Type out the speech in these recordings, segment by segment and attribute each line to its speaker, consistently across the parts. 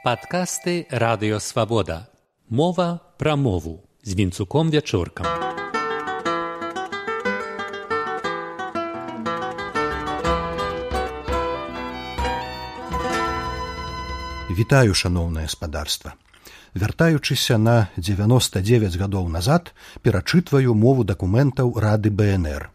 Speaker 1: Падкасты Радыё Свабода. Мова пра мову з Вінцуком Вячоркам.
Speaker 2: Вітаю, шаноўнае спадарства. Вяртаючыся на 99 гадоў назад, перачытваю мову дакументаў Рады БНР.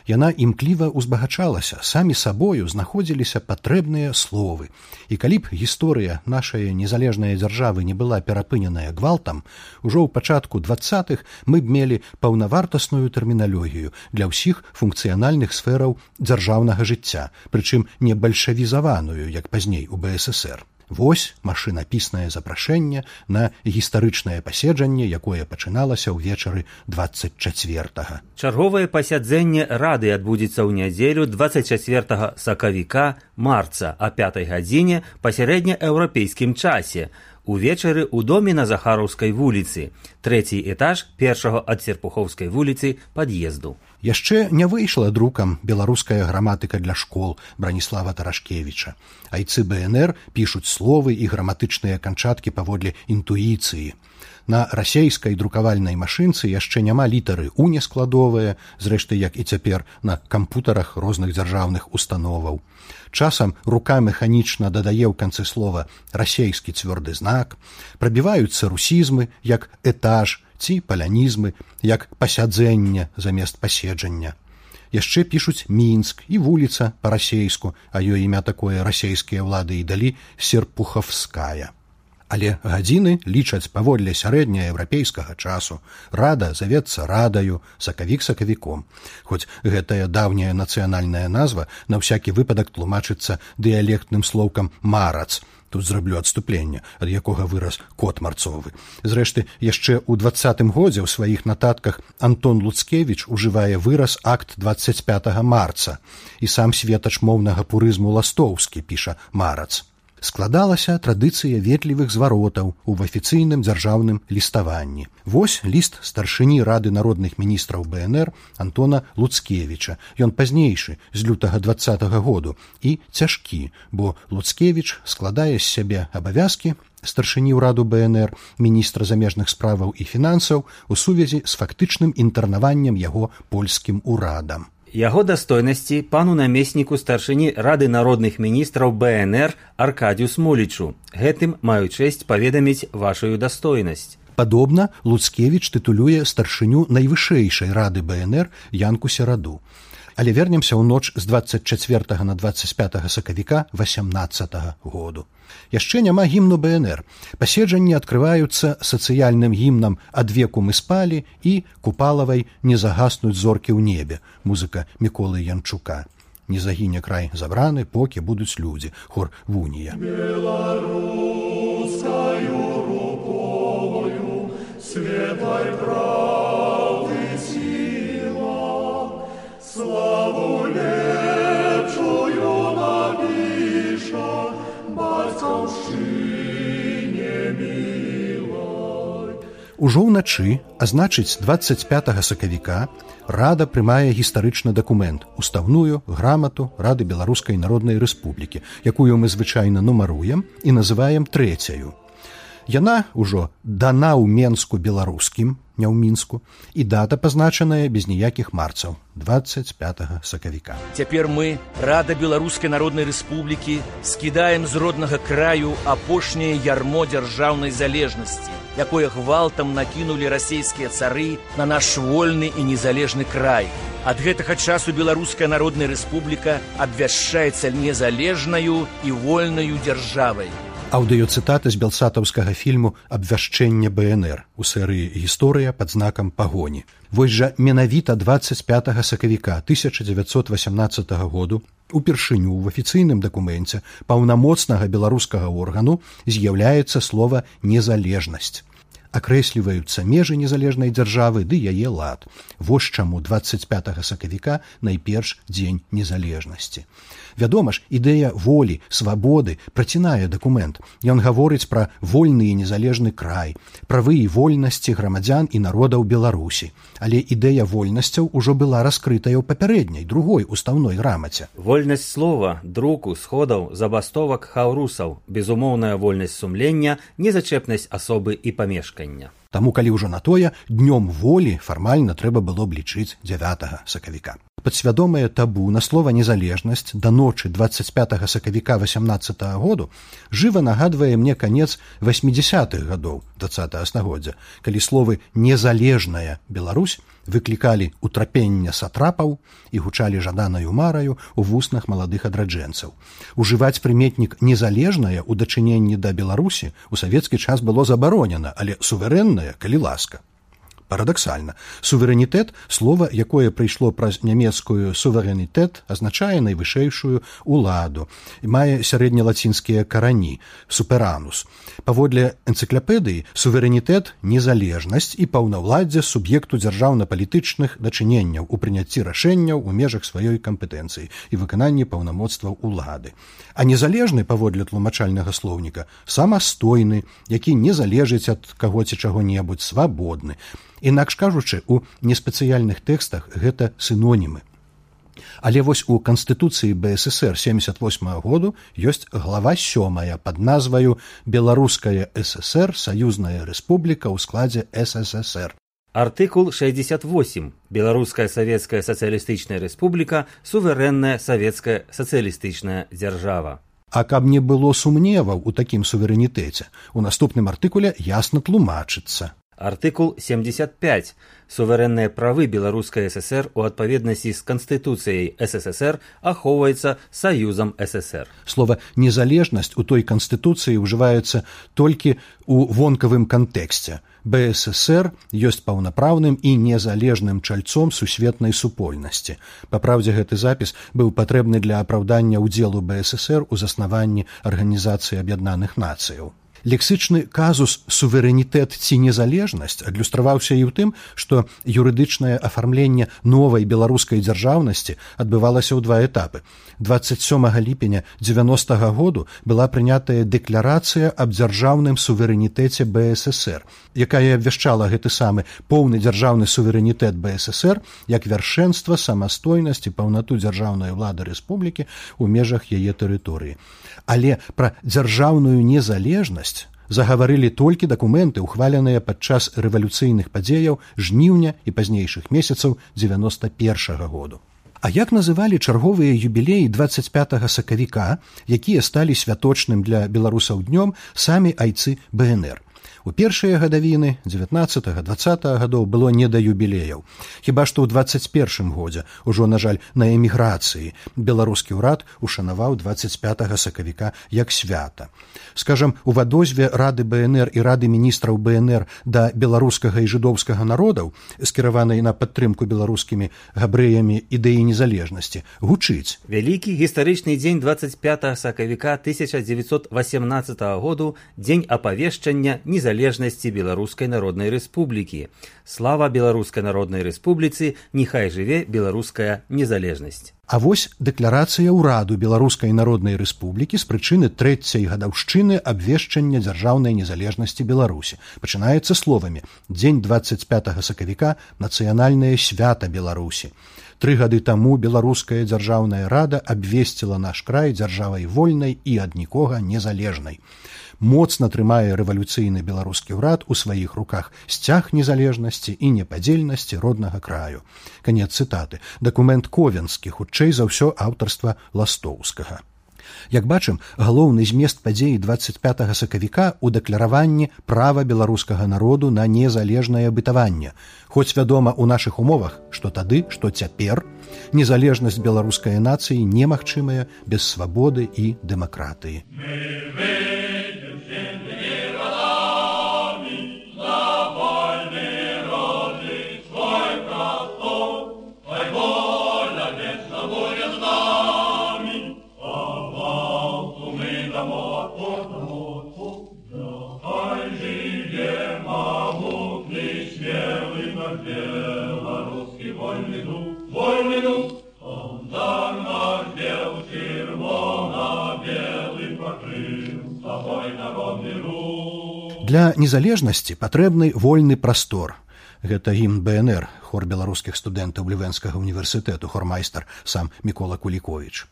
Speaker 2: Яна імкліва узбагачалася, самі сабою знаходзіліся патрэбныя словы. І калі б гісторыя нашай незалежнай дзяржавы не была перапыненая гвалтам, ужо ў пачатку 20-х мы б мелі паўнавартасную тэрміналогію для ўсіх функцыянальных сфераў дзяржаўнага жыцця, прычым не бальшавізаваную, як пазней у БССР. Вось машынапіснае запрашэнне на гістарычнае паседжанне, якое пачыналася ўвечары 24-га.
Speaker 3: Чарговае пасяджэнне Рады адбудзецца ў нядзелю 24 сакавіка марца о 5 гадзіне па сярэднееўрапейскім часе. Увечары ў доме на Захараўскай вуліцы, трэці этаж першага ад Серпухоўскай вуліцы пад'езду.
Speaker 2: Яшчэ не выйшла друкам беларуская граматыка для школ Браніслава Тарашкевіча. Айцы БНР пішуць словы і граматычныя канчаткі паводле інтуіцыі. На расейскай друкавальнай машынцы яшчэ няма літары «у» нескладовыя, зрэшты, як і цяпер на кампутарах розных дзяржаўных установаў. Часам рука механічна дадае ў канцы слова расейскі цвёрды знак, прабіваюцца русізмы, як этаж, ці палянізмы, як пасяджэнне замест паседжання. Яшчэ пішуць Мінск і вуліца па-расейску, а ёй імя такое расейскія ўлады і далі Серпуховская. Але гадзіны лічаць паводле сярэднееўрапейскага часу. Рада завецца радаю, сакавік сакавіком. Хоць гэтая даўняя нацыянальная назва на ўсякі выпадак тлумачыцца дыялектным слоўкам «марац». Тут зраблю адступленне, ад якога вырас кот марцовы. Зрэшты, яшчэ ў 20-м годзе ў сваіх нататках Антон Луцкевіч ужывае выраз акт 25 марца. І сам светач моўнага пурызму Ластоўскі піша «марац». Складалася традыцыя ветлівых зваротаў у афіцыйным дзяржаўным ліставанні. Вось ліст старшыні Рады народных міністраў БНР Антона Луцкевіча. Ён пазнейшы, з лютага 20-го году, і цяжкі, бо Луцкевіч складае з сябе абавязкі старшыні ўраду БНР, міністра замежных справаў і фінансаў у сувязі з фактычным інтэрнаваннем яго польскім урадам.
Speaker 3: Яго дастойнасці пану намесніку старшыні Рады народных міністраў БНР Аркадію Смолічу. Гэтым маю чэсць паведаміць вашую дастойнасць.
Speaker 2: Падобна, Луцкевіч тытулюе старшыню найвышэйшай Рады БНР Янку Сераду. Але вернемся ў ноч з 24 на 25 сакавіка 18 году. Яшчэ няма гімну БНР. Паседжанні адкрываюцца сацыяльным гімнам «Ад веку мы спалі» і Купалавай «Не загаснуць зоркі ў небе», музыка Міколы Янчука. «Не загіне край забраны, покі будуць людзі», хор Вунія.
Speaker 4: Беларускаю рукою светлай правды сила, славу лепшую напіша бацькаўшчыне мілай.
Speaker 2: Ужо ўначы, а значыць 25 сакавіка, Рада прымае гістарычны дакумент, устаўную грамату Рады Беларускай Народнай Рэспублікі, якую мы звычайна нумаруем і называем трэцяю. Яна ўжо дана ў Менску беларускім, не ў Мінску, і дата пазначаная без ніякіх марцаў, 25 сакавіка.
Speaker 5: Цяпер мы, Рада Беларускай Народнай Рэспублікі, скідаем з роднага краю апошняе ярмо дзяржаўнай залежнасці, якое гвалтам накінулі расейскія цары на наш вольны і незалежны край. Ад гэтага часу Беларуская Народная Рэспубліка абвяшчаецца незалежнаю і вольнаю дзяржавай.
Speaker 2: Аўдыёцытата з белсатаўскага фільму «Абвяшчэнне БНР» у серыі «Гісторыя пад знакам пагоні». Вось жа менавіта 25 сакавіка 1918 году упершыню ў афіцыйным дакуменце паўнамоцнага беларускага органу з'яўляецца слова «незалежнасць». акрэсліваюцца межы незалежнай дзяржавы ды яе лад. Вось чаму 25 сакавіка найперш дзень незалежнасці. Вядома ж, ідэя волі, свабоды працінае дакумент. Ён гаворыць пра вольны і незалежны край, правы і вольнасці грамадзян і народаў Беларусі. Але ідэя вольнасцяў ужо была раскрытая ў папярэдняй, другой устаўной грамаце.
Speaker 3: Вольнасць слова, друку, сходаў, забастовак, хаўрусаў, безумоўная вольнасць сумлення, незачэпнасць асобы і памешкання.
Speaker 2: Таму, калі ўжо на тое, днём волі фармальна трэба было б лічыць 9 сакавіка. Падсвядомае табу на слова «незалежнасць» да ночы 25 сакавіка 18 году жыва нагадвае мне канец 80-х гадоў 20 стагоддзя, калі словы «незалежная Беларусь» выклікалі утрапення сатрапаў і гучалі жаданаю мараю ў вуснах маладых адраджэнцаў. Ужываць прыметнік «незалежная» у дачыненні да Беларусі ў савецкі час было забаронена, але суверэнная, калі ласка. Парадаксальна. Суверэнітэт, слова, якое прыйшло праз нямецкую суверэнітэт, азначае найвышэйшую уладу і мае сярэднялацінскія карані суперанус. Паводле энцыклапедыі суверэнітэт – незалежнасць і паўнаўладдзе суб'екту дзяржаўна-палітычных дачыненняў у прыняцці рашэнняў у межах сваёй кампетэнцыі і выкананні паўнамоцтваў улады. А незалежны, паводле тлумачальнага слоўніка, самастойны, які не залежыць ад каго ці чаго-небудзь, свабодны. Інакш кажучы, у неспецыяльных тэкстах гэта сінонімы. Але вось у Канстытуцыі БССР 78 году ёсць глава 7 пад назваю «Беларуская ССР, саюзная рэспубліка ў складзе СССР».
Speaker 3: Артыкул 68. Беларуская савецкая сацыялістычная рэспубліка, суверэнная савецкая сацыялістычная дзяржава.
Speaker 2: А каб не было сумневаў у такім суверэнітэце, у наступным артыкуле ясна тлумачыцца.
Speaker 3: Артыкул 75. Суверэнныя правы Беларускай ССР у адпаведнасці з Канстытуцыяй СССР ахоўваецца Саюзам ССР.
Speaker 2: Слова «незалежнасць» у той Канстытуцыі ўжываецца толькі ў вонкавым кантэксце. БССР ёсць паўнапраўным і незалежным чальцом сусветнай супольнасці. Па праўдзе, гэты запіс быў патрэбны для апраўдання ўдзелу БССР у заснаванні Арганізацыі Аб'яднаных Нацыяў. Лексычны казус «суверэнітэт» ці «незалежнасць» адлюстраваўся і ў тым, што юрыдычнае афармленне новай беларускай дзяржаўнасці адбывалася ў два этапы. 27 ліпеня 90-го году была прынятая дэкларацыя аб дзяржаўным суверэнітэце БССР, якая абвяшчала гэты самы поўны дзяржаўны суверэнітэт БССР як вяршэнства, самастойнасць і паўнату дзяржаўнай улады рэспублікі ў межах яе тэрыторыі. Але пра дзяржаўную незалежнасць загаварылі толькі дакументы, ухваленыя падчас рэвалюцыйных падзеяў жніўня і пазнейшых месяцаў 91-го году. А як называлі чарговыя юбілеі 25 сакавіка, якія сталі святочным для беларусаў днём самі айцы БНР? У першыя гадавіны 19-20 гадоў было не да юбілеяў. Хіба што ў 21 годзе, ужо, на жаль, на эміграцыі, беларускі ўрад ушанаваў 25 сакавіка як свята. Скажам, у вадозве Рады БНР і Рады міністраў БНР да беларускага і жыдоўскага народаў, скіраванай на падтрымку беларускімі габрэямі ідэі незалежнасці, гучыць.
Speaker 3: Вялікі гістарычны дзень 25 сакавіка 1918 году, дзень апавешчання незалежнасці Беларускай Народнай Рэспублікі. Слава Беларускай Народнай Рэспубліцы, няхай жыве беларуская незалежнасць.
Speaker 2: А вось дэкларацыя ўраду Беларускай Народнай Рэспублікі з прычыны 3-й гадаўшчыны абвешчання дзяржаўнай незалежнасці Беларусі. Пачынаецца словамі «Дзень 25 сакавіка – нацыянальнае свята Беларусі». 3 гады таму Беларуская дзяржаўная рада абвесціла наш край дзяржавай вольнай і ад нікога незалежнай. Моцна трымае рэвалюцыйны беларускі ўрад у сваіх руках сцяг незалежнасці і непадзельнасці роднага краю. Канец цытаты. Дакумент ковенскі, хутчэй за ўсё аўтарства Ластоўскага. Як бачым, галоўны змест падзеі 25 сакавіка ў дэклараванні права беларускага народу на незалежнае бытаванне. Хоць вядома ў нашых умовах, што тады, што цяпер, незалежнасць беларускай нацыі немагчымая без свабоды і дэмакратыі.
Speaker 4: Ай, живе,
Speaker 2: Для незалежнасці патрэбны вольны прастор. Гэта гімн БНР, хор беларускіх студэнтаў Лівенскага універсітэту, хормайстар сам Мікола Куліковіч.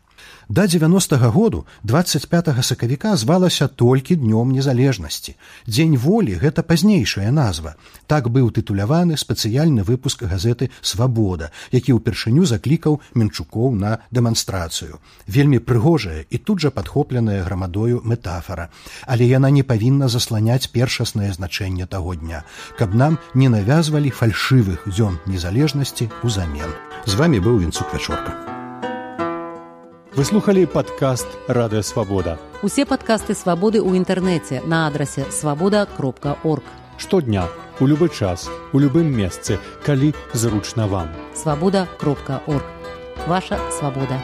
Speaker 2: Да 90-го году 25 сакавіка звалася толькі Днём незалежнасці. Дзень волі – гэта пазнейшая назва. Так быў тытуляваны спецыяльны выпуск газеты «Свабода», які ўпершыню заклікаў Менчукоў на дэманстрацыю. Вельмі прыгожая і тут жа падхопленая грамадою метафара. Але яна не павінна засланяць першаснае значэнне таго дня, каб нам не навязвалі фальшывых дзён незалежнасці ўзамен. З вамі быў Вінцук Вячорка.
Speaker 1: Вы слухали падкаст «Радыё Свабода».
Speaker 6: Усе падкасты «Свабоды» ў інтэрнэце на адрасе свабода.орг.
Speaker 1: Штодня, у любы час, у любым месцы, калі зручна вам.
Speaker 6: Свабода.орг. Ваша свабода.